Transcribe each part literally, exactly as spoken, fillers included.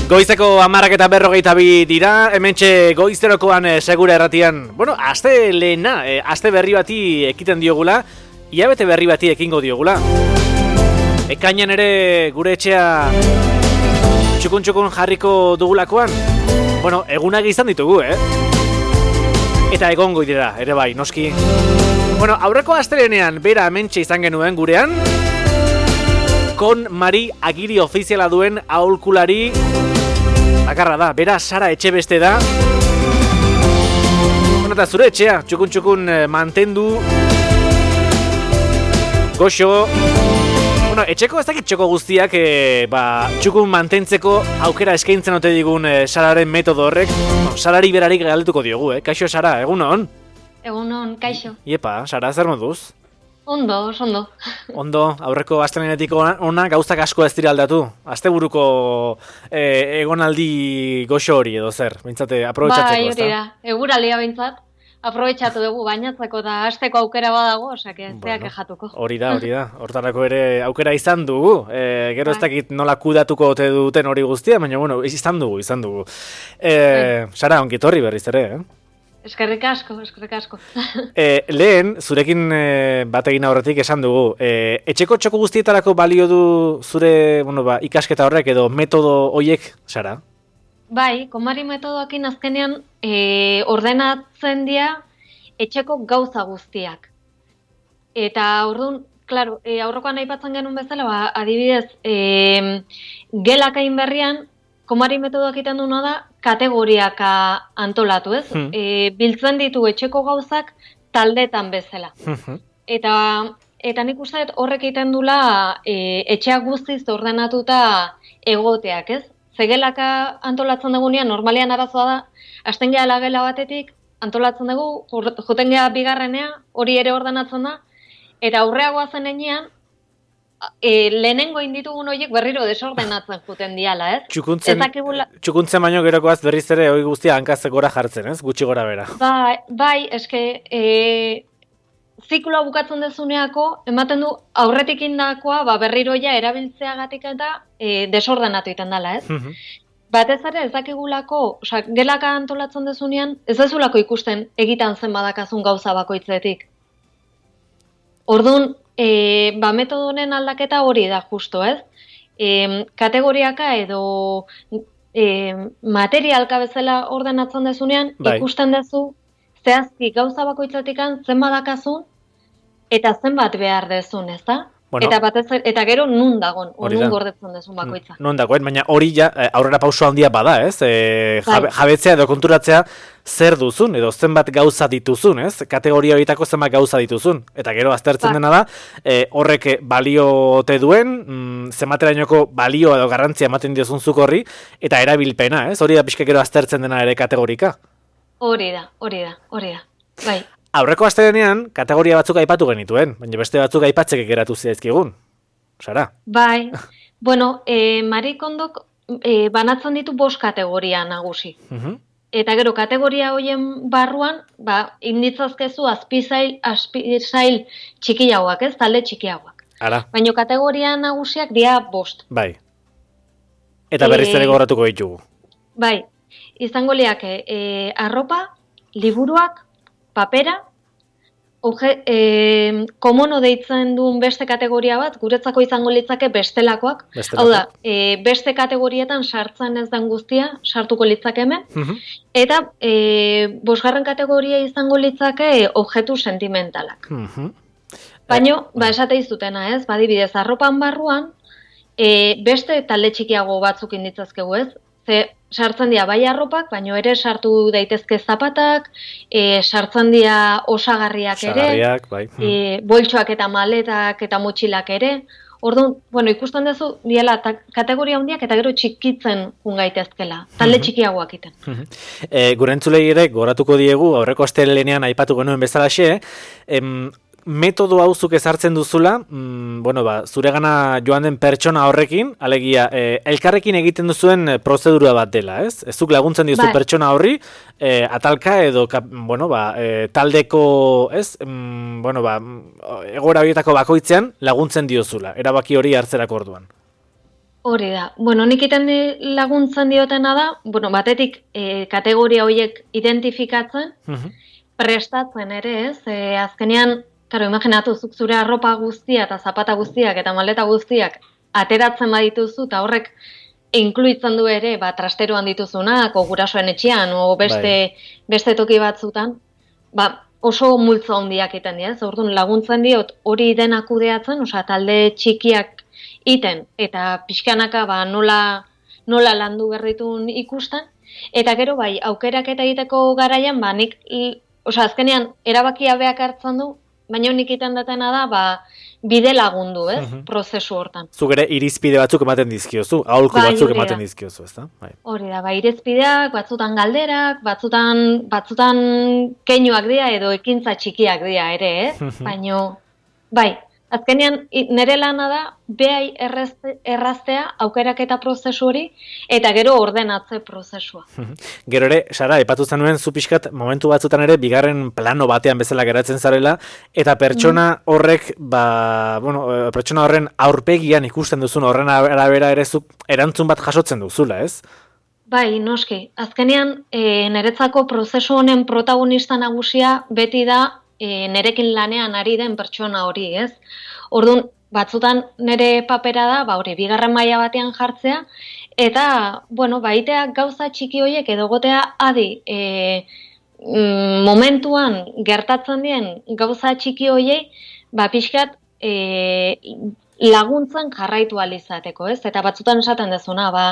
Goizeko hamarrak eta berrogeita bi dira, hementxe goizterokoan e, segura erratian, bueno, aste lehena, e, aste berri bati ekiten diogula, hilabete berri bati ekingo diogula. Ekainan ere gure etxea txukun-txukun jarriko dugulakoan, bueno, egunak izan ditugu, eh? Eta egongo dira, ere bai, noski. Bueno, aurreko astelenean bera hementxe izan genuen gurean, Kon Mari agiri ofiziala duen aholkulari bakarra da, bera Sara Etxebeste da. Bueno, eta zure etxea, txukun-txukun mantendu, goxo. Bueno, etxeko ez dakit txoko guztiak e, ba, txukun mantentzeko aukera eskaintzen ote digun e, Sararen metodo horrek. No, Sarari berarik galdetuko diogu, eh? Kaixo, Sara, egunon? Egunon, kaixo. Iepa, Sara, zer moduz? Ondo, ondo. Ondo, aurreko astelenetik ona gauzak asko ez dira aldatu. Asteburuko eh, egonaldi goxo hori edo zer, bintzate, aprobetxatzeko, bai, hori da, eguralia bintzat, aprobetxatu dugu bainatzeko eta hasteko aukera badago, osake, ez bueno, jatuko. Hori da, hori da, hortarako ere aukera izan dugu, e, gero ez dakit nola kudatuko ote duten hori guztia, baina bueno, izan dugu, izan dugu. E, Sara, ongitorri berriz ere, eh? Eskerrik asko, eskerrik asko. e, lehen, zurekin e, bat egin aurretik esan dugu, e, etxeko txoko guztietarako balio du zure bueno, ba, ikasketa horrek edo metodo hoiek, Sara? Bai, Konmari metodoakin azkenean e, ordenatzen dira etxeko gauza guztiak. Eta orduan, klaro, e, aurrokoan aipatzen genuen bezala, ba, adibidez, e, gelakain berrian, Konmari metodoak egiten duena da, kategoriaka antolatu, ez? Hmm. E, biltzen ditu etxeko gauzak taldetan bezala. Hmm. Eta, eta nik uste horrek egiten dula e, etxeak guztiz ordenatuta egoteak, ez? Zegelaka antolatzen dugunean, normalean arazoa da, hasten gehala gela batetik, antolatzen dugu, joten geha bigarrenea, hori ere ordenatzen da, eta aurreagoa zen enean, E, lehenengo inditugun horiek berriro desordenatzen juten diala, ez? Txukuntzen, Ezakibula... txukuntzen baino gerokoaz berriz ere hori guztia hankazek gora jartzen, ez? Gutxi gora bera. Bai, bai, eske, e, zikloa bukatzen dezuneako, ematen du aurretik indakoa, ba, berriro ja erabiltzeagatik eta e, desordenatu iten dela, ez? Mm-hmm. Batez ere ez dakigulako, oza, gelaka antolatzen dezunean, ez dezulako ikusten egitan zen badakazun gauza bakoitzetik. Orduan, E, ba, metodo honen aldaketa hori da justo, ez? E, kategoriaka edo e, materialka bezala ordenatzen dezunean, bai. Ikusten dezu, zehazki gauza bakoitzatikan zen badakazun, eta zenbat behar dezun, ez da? Bueno, eta, batez, eta gero nun dagon, o nun gordetzen dezun bakoitza. Nun dagoen, baina hori ja aurrera pauso handia bada, ez? E, jabe, jabetzea edo konturatzea zer duzun, edo zenbat gauza dituzun, ez? Kategoria horietako zenbat gauza dituzun. Eta gero aztertzen ba. dena da, e, horrek balio ote duen, mm, zenbaterainoko balio edo garrantzia ematen diozun zuk horri, eta erabilpena, ez? Hori da pixka gero aztertzen dena ere kategorika. Hori da, hori da, hori da, bai. Aurreko astelenean kategoria batzuk aipatu genituen, baina beste batzuk aipatzeke geratu zaizkigun. Sara? Bai. Bueno, e, Marikondok e, banatzen ditu bost kategoria nagusi. Uh-huh. Eta gero kategoria hoien barruan, ba, inditzazkezu azpizail, azpizail txikiagoak, ez? Talde txikiagoak. Ara. Baina kategoria nagusiak dira bost. Bai. Eta berriz ere gogoratuko ditugu. Bai. Izango liake e, arropa, liburuak, papera, oje, e, komono deitzen duen beste kategoria bat, guretzako izango litzake bestelakoak. Bestelako. Hau da, e, beste kategorietan sartzen ez den guztia, sartuko litzake hemen. Uh-huh. Eta e, bosgarren kategoria izango litzake objektu sentimentalak. Uh-huh. Baina, eh, ba, esate izutena ez, badibidez, arropan barruan, e, beste talde txikiago batzuk inditzazkegu ez, ze sartzen dira bai arropak, baina ere sartu daitezke zapatak, e, sartzen dira osagarriak ere, bai. e, boltsoak eta maletak eta motxilak ere. Orduan, bueno, ikusten duzu, diela kategoria handiak eta gero txikitzen jun gaitezkela, talde txikiagoak iten. e, gure entzulei ere, goratuko diegu, aurreko astelenean aipatu genuen bezalaxe, em, metodo hau zuk ezartzen duzula, mm, bueno, ba, zuregana joan den pertsona horrekin, alegia, e, elkarrekin egiten duzuen prozedura bat dela, ez? Ez zuk laguntzen diozu pertsona horri, e, atalka edo, kap, bueno, ba, e, taldeko, ez? Mm, bueno, ba, egoera horietako bakoitzean laguntzen diozula, erabaki hori hartzerako orduan. Hori da. Bueno, nik iten laguntzen diotena da, bueno, batetik e, kategoria horiek identifikatzen, uh-huh. prestatzen ere, ez? E, azkenean, karo, imaginatu zuk zure arropa guztia eta zapata guztiak eta maleta guztiak ateratzen badituzu, eta horrek inkluitzen du ere, ba, trasteroan dituzunak, o gurasoen etxean, o beste, beste toki batzutan, ba, oso multzo handiak iten dira, ez? Orduan laguntzen diot hori dena kudeatzen, osea, talde txikiak iten, eta pixkanaka ba, nola, nola landu berritun ikusten, eta gero bai, aukerak eta egiteko garaian, ba, nik, osea, azkenean, erabakia beak hartzen du, baina nik iten datena da, ba, bide lagundu, ez, uh-huh. prozesu hortan. Zuk ere irizpide batzuk ematen dizkiozu, aholku bai, batzuk ematen dizkiozu, ez da? Bai. Hori da, ba, irizpideak, batzutan galderak, batzutan, batzutan keinuak dira, edo ekintza txikiak dira ere, ez? Baina, bai, azkenean, nire lana da, behai erraztea aukeraketa prozesu hori, eta gero ordenatze prozesua. Gero ere, Sara, epatu zenuen, zu pixkat, momentu batzutan ere, bigarren plano batean bezala geratzen zarela, eta pertsona horrek, ba, bueno, pertsona horren aurpegian ikusten duzun, horren arabera ere zuk erantzun bat jasotzen duzula, ez? Bai, noski. Azkenean, e, niretzako prozesu honen protagonista nagusia beti da, E, nerekin lanean ari den pertsona hori, ez? Orduan, batzutan nire papera da, ba hori, bigarren maila batean jartzea, eta, bueno, baitea gauza txiki horiek edo gotea adi, e, mm, momentuan gertatzen dien gauza txiki horiei, ba pixkat e, laguntzen jarraitu alizateko, ez? Eta batzutan esaten dezuna, ba,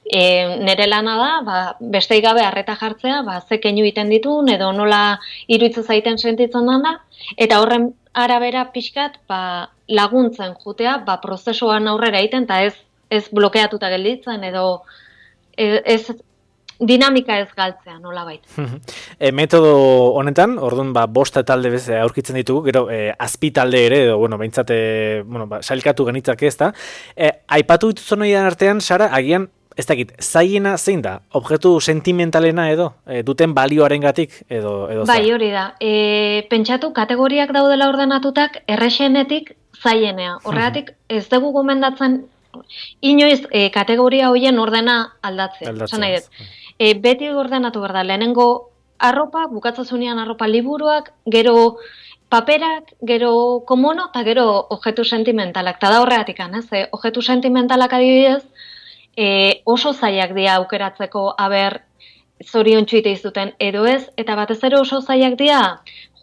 e, nire lana da, ba, bestei gabe harreta jartzea, ba, ze keinu iten ditun, edo nola iruditzen zaiten sentitzen da, eta horren arabera pixkat, ba, laguntzen jutea, ba, prozesuan aurrera egiten, eta ez, ez blokeatuta gelditzen, edo ez, ez dinamika ez galtzea, nola baita. E, metodo honetan, orduan, ba, bosta talde bez aurkitzen ditugu, gero, e, azpi talde ere, edo, bueno, behintzat, bueno, ba, sailkatu genitzak ez da. E, aipatu dituzun horian artean, Sara, agian, ez dakit, zaiena zein da? Objektu sentimentalena edo? E, duten balioarengatik edo, edo bai, hori da. E, pentsatu, kategoriak daudela ordenatutak, errexenetik zaienea. Horregatik, ez dugu gomendatzen, inoiz, e, kategoria horien ordena aldatzea. Aldatzea. E, beti ordenatu behar da, lehenengo arropa, bukatzazunean arropa liburuak, gero paperak, gero komono, eta gero objektu sentimentalak. Eta da horregatik, ez? E, objektu sentimentalak adibidez, e, oso zailak dira aukeratzeko aber zorion txuite izuten edo ez, eta batez ere oso zailak dira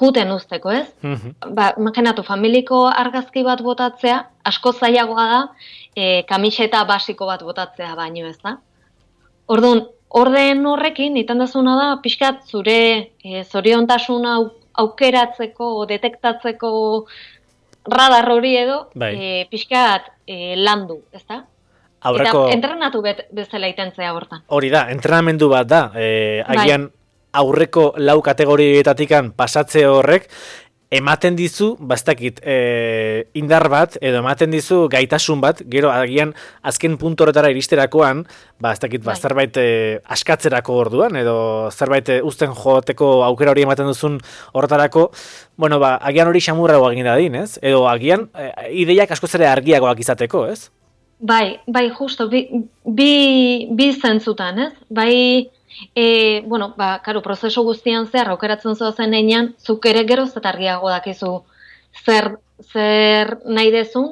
juten usteko, ez? Mm-hmm. Ba, imaginatu, familiko argazki bat botatzea, asko zailagoa da, e, kamiseta basiko bat botatzea baino, ez da? Orduan, orden horrekin, iten dezuna da, pixkat zure e, zoriontasuna aukeratzeko, detektatzeko radar hori edo, bai. e, pixkat e, landu, ez da? Aurreko... Eta entrenatu bet, bezala itentzea hortan. Hori da, entrenamendu bat da, e, agian bai. Aurreko lau kategorietatikan pasatze horrek, ematen dizu, bastakit, e, indar bat, edo ematen dizu gaitasun bat, gero agian azken puntu horretara iristerakoan, bastakit, ba, zerbait e, askatzerako orduan, edo zerbait e, uzten joateko aukera hori ematen duzun horretarako, bueno, ba, agian hori xamurragoa egin dadin, ez? Edo agian e, ideiak askoz ere argiagoak izateko, ez? Bai, bai, justo, bi, bi, bi zentzutan, ez? Bai, e, bueno, ba, karo, prozesu guztian zehar, aukeratzen zoazen einan, zuk ere geroz eta argiago dakizu zer, zer nahi dezun,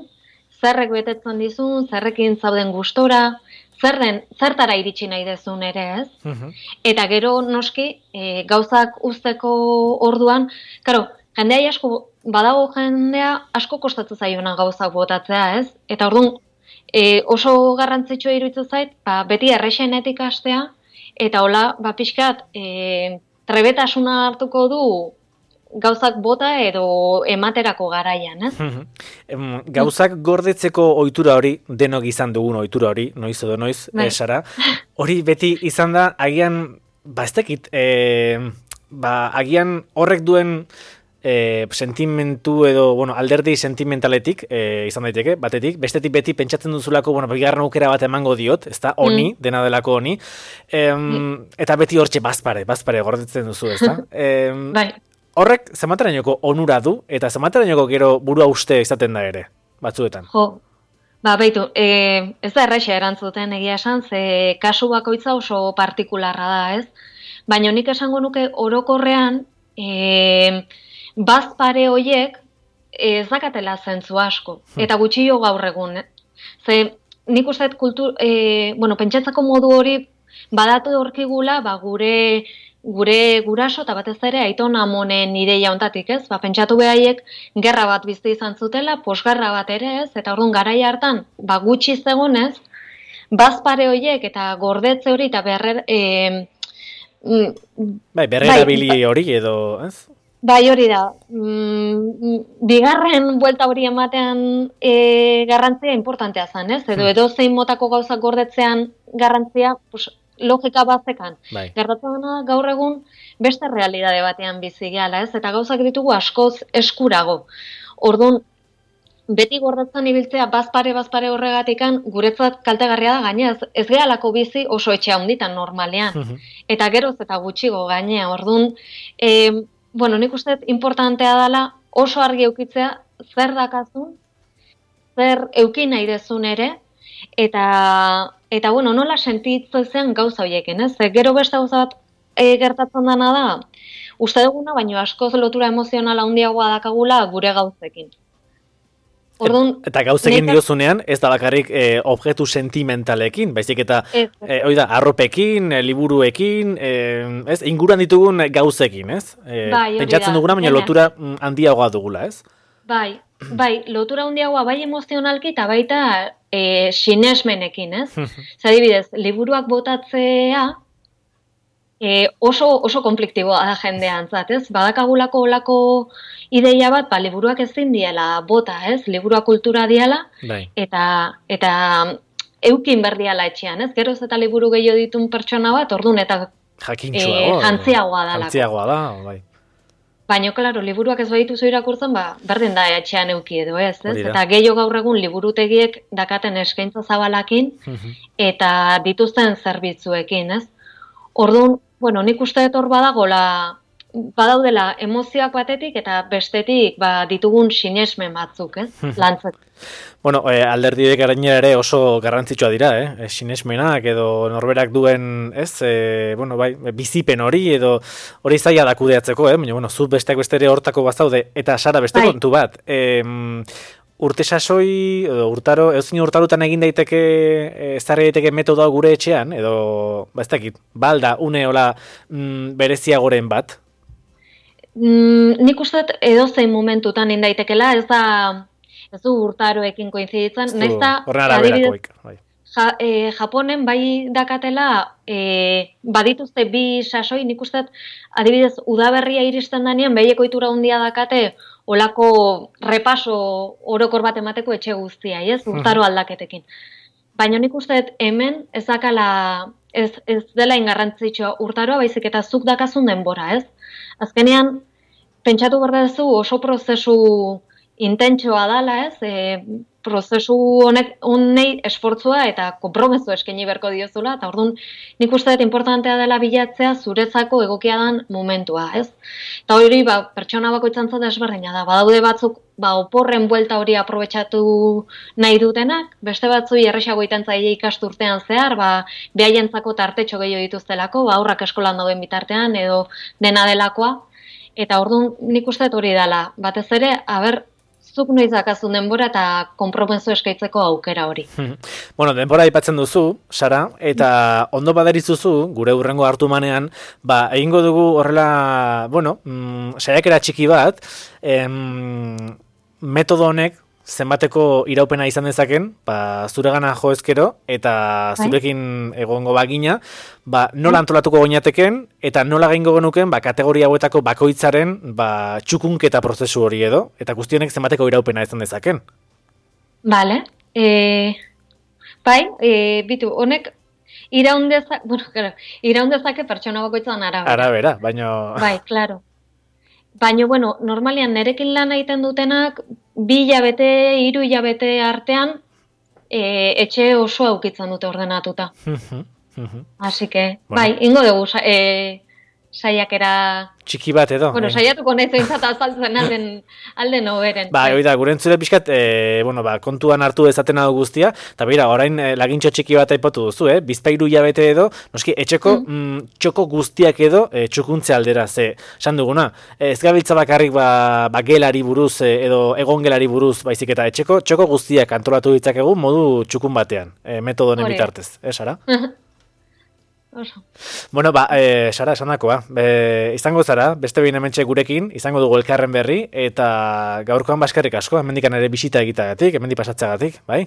zerrek betetzen dizun, zerrekin zauden gustora, zer den, zertara iritsi nahi dezun ere, ez? Uh-huh. Eta gero, noski, e, gauzak usteko orduan, karo, jendea asko, badago jendea asko kostatzen zaiona gauzak botatzea, ez? Eta orduan, E, oso garrantzitsua iruditzen zait, ba, beti errexenetik hastea, eta hola, ba, pixkat, e, trebetasuna hartuko du gauzak bota edo ematerako garaian, ez? Gauzak gordetzeko ohitura hori, denok izan dugun ohitura hori, noiz edo noiz, bai. Sara, hori beti izan da, agian, ba, ez dakit, e, ba, agian horrek duen E, sentimentu edo, bueno, alderdi sentimentaletik e, izan daiteke, batetik, bestetik beti pentsatzen duzulako, bueno, bigarren aukera bat emango diot, ezta, honi, mm. dena delako honi, e, mm. eta beti hortxe bazpare, bazpare gordetzen duzu, ezta? E, bai. Horrek, zematerainoko onura du, eta zematerainoko gero burua uste izaten da ere, batzuetan. Jo, Ba, baitu, e, ez da erraixa erantzuten egia esan, ze kasu bakoitza oso partikularra da, ez? Baina nik esango nuke orokorrean, e, bazpare hoiek ez dakatela zentzu asko, eta gutxillo gaur egun. Eh? Ze nik uste kultur, e, bueno, pentsatzeko modu hori badatu horkigula, ba, gure gure guraso eta batez ere aiton amonen ideia hontatik, ez? Ba, pentsatu behaiek gerra bat bizi izan zutela, posgerra bat ere, ez? Eta orduan garaia hartan, ba, gutxi zegonez, bazpare hoiek eta gordetze hori eta berrer e, bai, berrerabili hori edo, ez? Bai, hori da. Mm, bigarren buelta hori ematean e, garrantzia importantea zen, ez? Edo edo zein motako gauzak gordetzean garrantzia, pues, logika bazekan. Bai. Gertatzen dena gaur egun beste realidade batean bizi gehala, ez? Eta gauzak ditugu askoz eskurago. Orduan, beti gordetzen ibiltzea bazpare bazpare horregatikan guretzat kaltegarria da gainez. Ez gehalako bizi oso etxe handitan normalean. Eta geroz eta gutxigo gainea. Orduan, eh, bueno, nik uste importantea dela oso argi eukitzea zer dakazun, zer eukin nahi dezun ere, eta, eta bueno, nola sentitzen gauza horiekin, ez? Gero beste gauza bat e, gertatzen dena da, uste duguna, baino askoz lotura emozionala handiagoa dakagula gure gauzekin. Orduan, eta gauzekin diozunean, ez da bakarrik e, objektu sentimentalekin, baizik eta e, oida, arropekin, e, liburuekin, e, ez, inguruan ditugun gauzekin, ez? E, bai, pentsatzen duguna, baina lotura handiagoa dugula, ez? Bai, bai, lotura handiagoa bai emozionalki eta baita e, sinesmenekin, ez? Zadibidez, liburuak botatzea e, oso, oso konfliktiboa da jendean, zat, ez? Badakagulako olako ideia bat, ba, liburuak ezin diela bota, ez? Liburua kultura diala, bai. eta, eta eukin berdiala etxean, ez? Geroz eta liburu gehiago ditun pertsona bat, orduan, eta jakintxuago, e, jantziagoa dalako. Jantziagoa da, bai. Baina, klaro, liburuak ez badituzu irakurtzen, ba, berdin da etxean euki edo, ez? ez? Eta gehiago gaur egun liburutegiek dakaten eskaintza zabalakin, eta dituzten zerbitzuekin, ez? Orduan, bueno, nik uste dut hor badagola, badaudela emozioak batetik eta bestetik ba, ditugun sinesmen batzuk, ez? Lantzeko. Bueno, eh, alderdiek gainera ere oso garrantzitsua dira, eh? Sinesmenak edo norberak duen, ez? Eh, bueno, bai, bizipen hori edo hori zaila da kudeatzeko, eh? Baina, bueno, zu besteak beste ere hortako bazaude eta Sara beste bai. kontu bat. Eh, urte sasoi, edo urtaro, edo urtarutan egin daiteke, ezarri daiteke metodoa gure etxean, edo, ba ez dakit, balda, une hola mm, bereziagoren bat? Mm, nik uste edo zein momentutan indaitekela, ez da, ez du urtaroekin koinziditzen, nahiz da, adibidez, bai. ja, e, Japonen bai dakatela, e, badituzte bi sasoi, nik uste adibidez, udaberria iristen danean, behieko itura handia dakate, olako repaso orokor bat emateko etxe guztia, ez? Urtaro aldaketekin. Baina nik uste hemen ez dakala, ez, ez dela ingarrantzitsua urtaroa, baizik eta zuk dakazun denbora, ez? Azkenean, pentsatu behar duzu oso prozesu intentsoa dala, ez? E, prozesu honek honei esfortzua eta konpromezu eskaini beharko diozula, eta orduan nik uste dut importantea dela bilatzea zuretzako egokia dan momentua, ez? Eta hori, ba, pertsona bakoitzan zata desberdina da, badaude batzuk, ba, oporren buelta hori aprobetxatu nahi dutenak, beste batzu erresago iten zaile ikasturtean zehar, ba, behaientzako tartetxo gehiago dituztelako, ba, aurrak eskolan dauden bitartean, edo dena delakoa, eta orduan nik uste dut hori dela, batez ere, haber, zuk noiz dakazun denbora eta konpromezu eskaitzeko aukera hori. Bueno, denbora aipatzen duzu, Sara, eta ondo baderizuzu, gure hurrengo hartu manean, ba, egingo dugu horrela, bueno, mm, saiakera txiki bat, em, metodo honek, zenbateko iraupena izan dezaken, ba, zuregana jo ezkero, eta zurekin egongo bagina, ba, nola antolatuko goinateken, eta nola gaingo genuken, ba, kategoria hauetako bakoitzaren, ba, txukunketa prozesu hori edo, eta guztionek zenbateko iraupena izan dezaken. Vale. E, bai, e, bitu, honek iraundezak, bueno, claro, iraundezake pertsona bakoitzan arabera. Arabera, baino... Bai, claro. Baina, bueno, normalian nerekin lan egiten dutenak, bi hilabete, hiru hilabete artean, e, etxe oso aukitzen dute ordenatuta. Así que, bueno. Bai, ingo dugu, e, saiakera... Txiki bat edo. Bueno, saiatuko nahi zuentzat azaltzen alden, alden hoberen. Ba, hori da, gure entzule pixkat, e, bueno, ba, kontuan hartu dezaten hau guztia, eta beira, orain e, lagintxo txiki bat aipatu duzu, eh? Bizpairu hilabete edo, noski, etxeko mm. Mm, txoko guztiak edo e, txukuntze aldera, ze, esan duguna, e, ez gabiltza bakarrik ba, ba gelari buruz e, edo egon gelari buruz, baizik eta etxeko txoko guztiak antolatu ditzakegu modu txukun batean, e, metodonen bitartez, eh, Sara? Oso. Bueno, ba, e, Sara, esan dakoa, e, izango zara, beste behin hementxe gurekin, izango dugu elkarren berri, eta gaurkoan baskerrik asko, hemendikan ere bisita egitagatik, hemendik pasatzagatik, bai?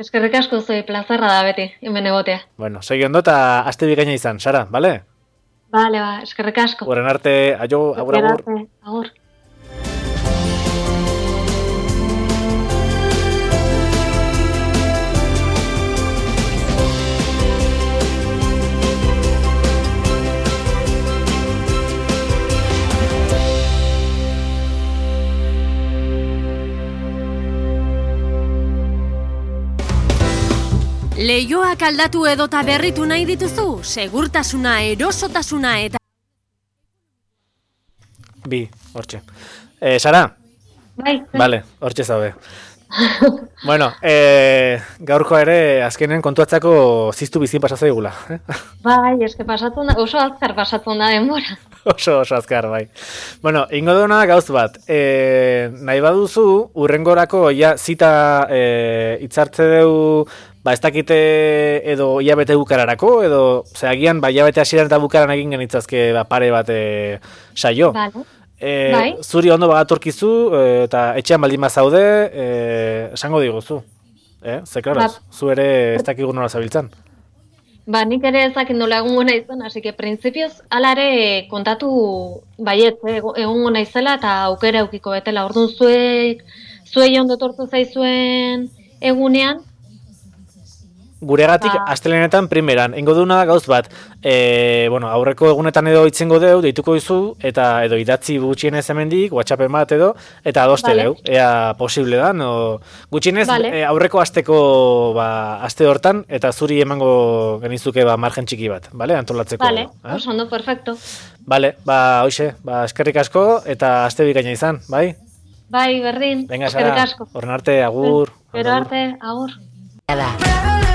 Eskerrik asko zoi, plazerra da beti, hemen egotea. Bueno, segi ondo eta aste bikaina izan, Sara, bale? Bale, ba, eskerrik asko. Horren arte, aio, agur, agur. Arte, agur. Leioak aldatu edota berritu nahi dituzu, segurtasuna, erosotasuna eta... Bi, hortxe. Eh, Sara? Bai. Vale, hortxe zaude. Bueno, eh, gaurko ere azkenen kontuatzako ziztu bizin pasatzen egula. Eh? Bai, eske pasatzen da, oso azkar pasatzen da denbora. Oso, oso azkar, bai. Bueno, ingo duna gauz bat. Eh, nahi baduzu, urrengorako ja zita eh, itzartze deu... Ba, ez dakite edo hilabete bukararako, edo, ze agian, ba, hilabete hasieran eta bukaran egin genitzazke ba, pare bat e, saio. Vale. E, bai. Zuri ondo bagatorkizu, e, eta etxean baldin bazaude, e, esango diguzu. E, ze, klaro, ba. Zu ere ez dakigu nola zabiltzan. Ba, nik ere ezak indola egungo naizan, hasi que prinsipioz alare kontatu baiet, egungo naizela eta aukera eukiko betela. Orduan zuek, zuei ondo tortu zaizuen egunean, guregatik ba. astelenetan primeran, ingo duna gauz bat, e, bueno, aurreko egunetan edo itzengo deu, deituko dizu, eta edo idatzi gutxienez hemendik, WhatsAppen bat edo, eta adoste vale. Deu, ea posible da, no? Gutxienez vale. e, aurreko asteko ba, aste hortan, eta zuri emango genizuke ba, margen txiki bat, vale? Antolatzeko. Vale, eh? oso ondo, perfecto. Vale, ba, hoxe, ba, eskerrik asko, eta aste bikaina izan, bai? Bai, berdin, venga, eskerrik asko. Horren arte, agur. Pero arte, agur. Agur.